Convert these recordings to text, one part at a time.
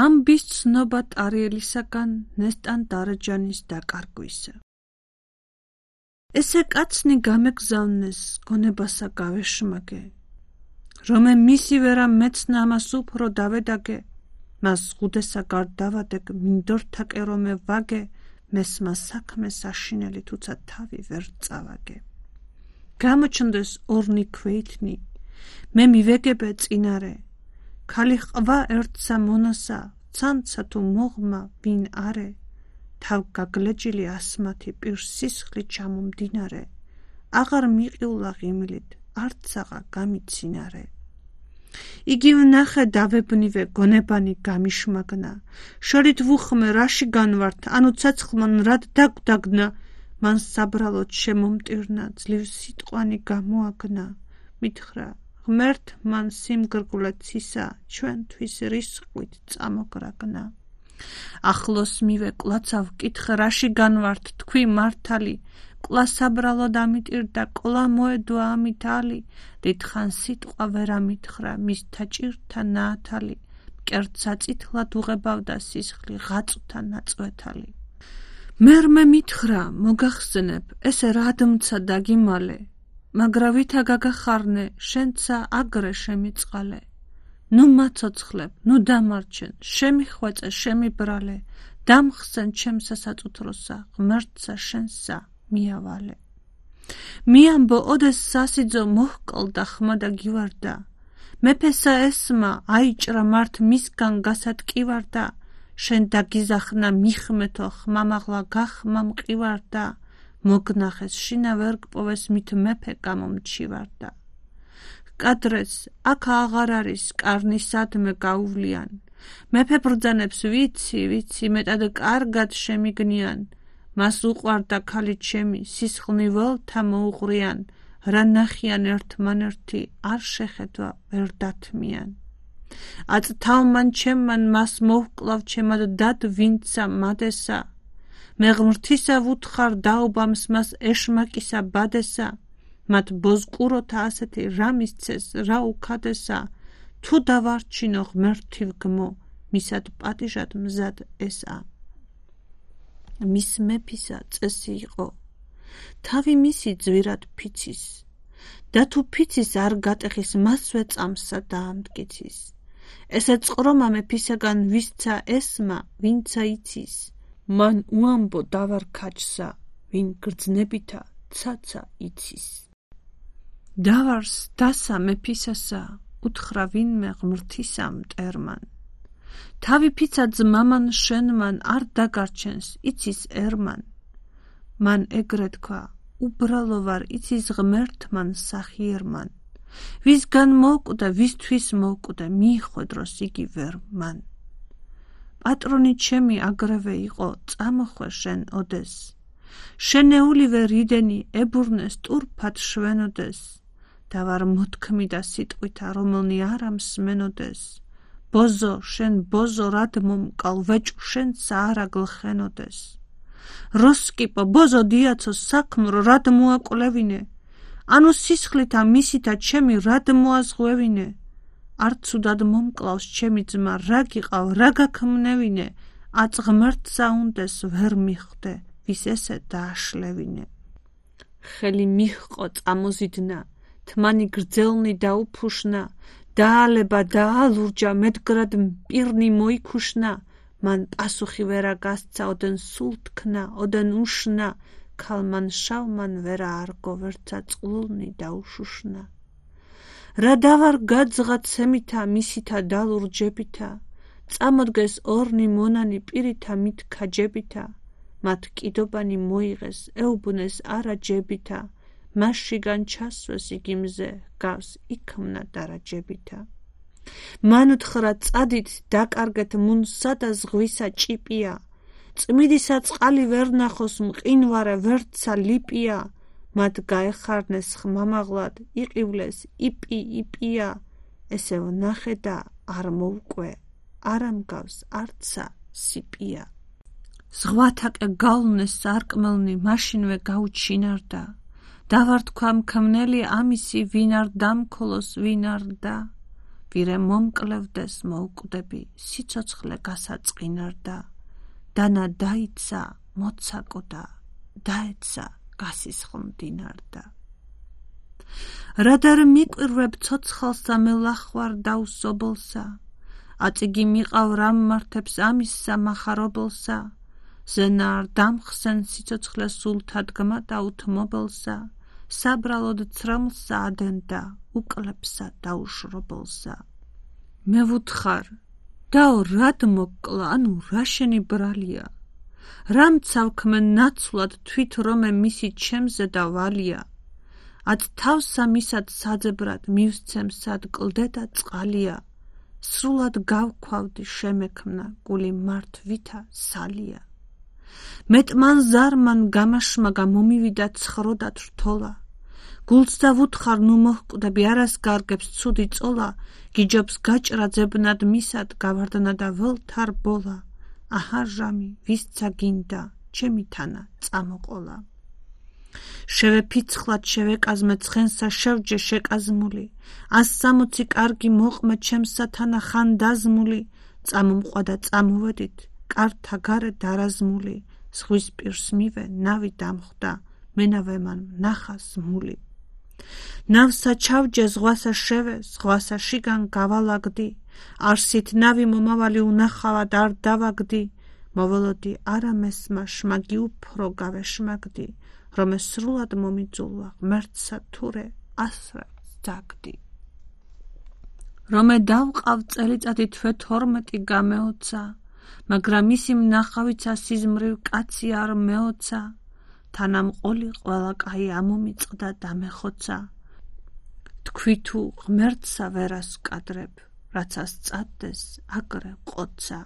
ამბის ცნობა ტარიელისაგან ნესტან დარეჯანის დაკარგვისა. ესე კაცნი გამეგზავნეს გონებასა გავეშმაგე, რომე მისი ვერა მეცნა ამას უფრო დავედაგე, მას ღუდესა გარდავადეგ მინდორთაკე რომე ვაგე, მესმა საქმე საშინელი თუცა თავი ვერ წავაგე. გამოჩნდეს ორნი ქვეითნი, მე მივეგებე წინარე, ქალი ყვა ერთსა მონასა, ცანცა თუ მოღმა ვინ არე, თავ გაგლეჯილი ასმათი პირ სისხლი ჩამომდინარე, აღარ მიყიულა ღიმლით, არცაღა გამიცინარე. იგი ვნახე დავებნივე გონებანი გამიშმაგნა, შორით ვუხმე რაში განვართ, ანუ ცეცხლმან რად დაგვდაგნა, მან საბრალოდ შემომტირნა, ძლივ სიტყვანი გამოაგნა, მითხრა, ღმერთ მან სიმგრგვლე ცისა, ჩვენთვის რისხვით წამოგრაგნა. ახლოს მივე კლაცავ კითხე რაში განვართ, თქვი მართალი, კლა საბრალოდ ამიტირდა, კლა მოედვა ამით ალი, დიდხან სიტყვა ვერ ამითხრა, მისთა ჭირთა ნაათალი, მკერდ საწითლად უღებავდა სისხლი, ღაწვთა ნაწვეთალი. მერმე მითხრა, მოგახსენებ, ესე რადმცა დაგიმალე, მაგრა ვითა გაგახარნე, შენცა აგრე შემიწყალე. ნუ მაცოცხლებ, ნუ დამარჩენ, შემიხვეწე, შემიბრალე, დამხსენ ჩემ სასაწუთროსა, ღმერთსა შენსა მიავალე. მიამბო ოდეს სასიძო მოჰკლდა ხმა და გივარდა, მეფესა ესმა აიჭრა მართ მისგან გასატკივარდა, შენ დაგიზახნა მიხმეთო ხმამაღლა გახმა მყივარდა, მოგნახეს შინა ვერ გპოვეს მით მეფე გამომჩივარდა. კადრეს აქ აღარ არის კარნისადმე გაუვლიან, მეფე ბრძანებს ვიცი, მეტად კარგად შემიგნიან, მას უყვარდა ქალი ჩემი, სისხლნი ველთა მოუღრიან, რა ნახიან ერთმანერთი, არ შეხედვა ვერ დათმიან. აწთავმან ჩემმან მას მოვკლავ ჩემად დად ვინცა მადესა, მე ღმრთისა ვუთხარ დაობამს მას ეშმაკისა ბადესა, მათ ბოზყუროთა ასეთი რა მისცეს, რა უქადესა, თუ დავარჩინო ღმერთი ვგმო, მისად პატიჟად მზად ესა. მის მეფისა წესი იყო, თავი მისი ძვირად ფიცის, და თუ ფიცის არ გატეხის, მასვე წამსა დაამტკიცის. ესე წყრომა მეფისაგან ვისცა ესმა, ვინცა იცის, მან უამბო დავარ ქაჯსა, ვინ გრძნებითა ცაცა იცის. დავარს დასა მეფისასა, უთხრა ვინმე ღმრთისა მტერმან. თავი ფიცა ძმამან შენმან არ დაგარჩენს, იცის ერმან. მან ეგრე თქვა, უბრალო ვარ, იცის ღმერთმან სახიერმან. ვისგან მოკვდა, ვისთვის მოკვდა, მიიხვედროს იგი ვერ მან. პატრონი ჩემი აგრევე იყო, წამოხვე შენ ოდეს. შენეულივე რიდენი ებურნე სტურფად შვენოდეს. დავარ მოთქმიდა სიტყვითა, რომელნი არ ამსმენოდეს. ბოზო, შენ ბოზო რად მომკალ, ვეჭ შენსა არა გლხენოდეს. როსკიპო, ბოზო დიაცო საქმრო რად მოაკვლევინე, ანუ სისხლითა მისითა ჩემი რად მოაზღვევინე. არ ცუდად მომკლავს ჩემი ძმა, რა გიყავ, რა გაქმნევინე, აწ ღმერთსა უნდეს ვერ მიხვდე, ვის ესე დააშლევინე. ხელი მიჰყო წამოზიდნა, თმანი გრძელნი დაუფუშნა, დაალება დაალურჯა, მეტგრად პირნი მოიქუშნა, მან პასუხი ვერა გასცა, ოდენ სულ თქნა, ოდენ უშნა, ქალმან შავმან ვერა არგო, ვერცა წყლულნი დაუშუშნა. რა დავარ გაძღა ცემითა, მისითა დალურჯებითა, წამოდგეს ორნი მონანი პირითა მით ქაჯებითა, მათ კიდობანი მოიღეს, ეუბნეს არა ჯებითა, მასშიგან ჩასვეს იგი მზე, გავს იქმნა დარაჯებითა. მან უთხრა წადით დაკარგეთ მუნსა და ზღვისა ჭიპია, წმიდისა წყალი ვერ ნახოს, მყინვარე ვერცა ლიპია, მათ გაეხარნეს ხმამაღლად, იყივლეს იპია, ესე ვნახე და არ მოვკვე, არ ამგავს არცა სიპია. ზღვათაკე გავლნეს სარკმელნი, მაშინვე გაუჩინარდა, დავარ თქვა მქმნელი ამისი, ვინ არ დამქოლოს, ვინ არ და, ვირე მომკლევდეს მოუკვდები, სიცოცხლე გასაწყინარდა, დანა დაიცა, მოცაკოდა, დაეცა, გასისხლმდინარდა. რადარ მიკვირვებ ცოცხალსა მე ლახვარ დაუსობლსა, აწიგი მიყავ რამ მართებს ამისსა მახარობლსა, ზენარ დამხსენ სიცოცხლე სულთადგმა და უთმობლსა, საბრალოდ ცრემლსა ადენდა, უკლებსა დაუშრობლსა. მე ვუთხარ, დაო რად მოკლა, ანუ რა შენი ბრალია, რამ ცავქმე ნაცვლად თვით რომე მისი ჩემზე და ვალია, აც თავსა მისად საძებრად მივსცემ სად კლდე და წყალია, სრულად გავქვავდი შემექმნა გული მართ ვითა სალია. მეტმან ზარმან გამაშმაგა მომივიდა ცხროდად რთოლა, გულს და ვუთხარ ნუ მოჰკვდები არას გარგებს ცუდი წოლა, გიჯობს გაჭრა ძებნად მისად გავარდნა და ველთარ ბოლა, აჰა ჟამი ვისცა გინდა ჩემი თანა წამოყოლა. შევეფიცხლად შევეკაზმე ცხენსა შევჯე შეკაზმული, 160 კარგი მოყმე ჩემსა თანა ხანდაზმული, წამომყვა და წამოვედით, კართა გარე დარაზმული, ზღვის პირს მივე ნავი დამხვდა, მენავე მან ნახა ზმული. ნავსა ჩავჯე ზღვასა შევე, ზღვასა შიგან გავალაგდი, არსით ნავი მომავალი უნახავად არ დავაგდი, მოველოდი არა მესმა შმაგი უფრო გავეშმაგდი, რომ სრულად მომიძულვა ღმერთსა თურე ასრა ძაგდი. რომე დავყავ წელიწადი თვე 12 გამეოცა, მაგრამ ისი მნახავიცა სიზმრივ კაცი არ მეოცა, თანამყოლი ყველა კაი ამომიწყდა და მეხოცა, თქვი თუ ღმერთსა ვერას ვკადრებ, რაცას წადდეს აგრე ყოცა.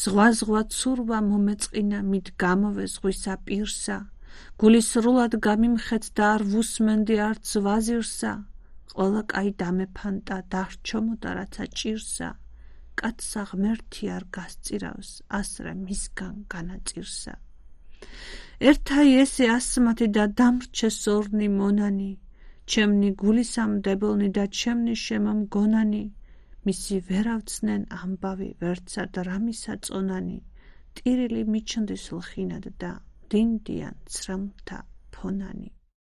ზღვა ცურვა მომეწყინა, მით გამოვე ზღვისა პირსა, გული სრულად გამიმხეთ და არ ვუსმენდი არც ვაზირსა, ყველა კაი დამეფანტა დარჩომოდა რაცა ჭირსა, კაცსა ღმერთი არ გასწირავს, ასრე მისგან განაწირსა. ერთაი ესე ასმათი და დამრჩე სორნი მონანი, ჩემნი გულისამდებელნი და ჩემნი შემომგონანი, მისი ვერავცნენ ამბავი ვერცა დრამისა წონანი, ტირილი მიჩნდის ლხინად და დინდიან ცრემლთა ფონანი.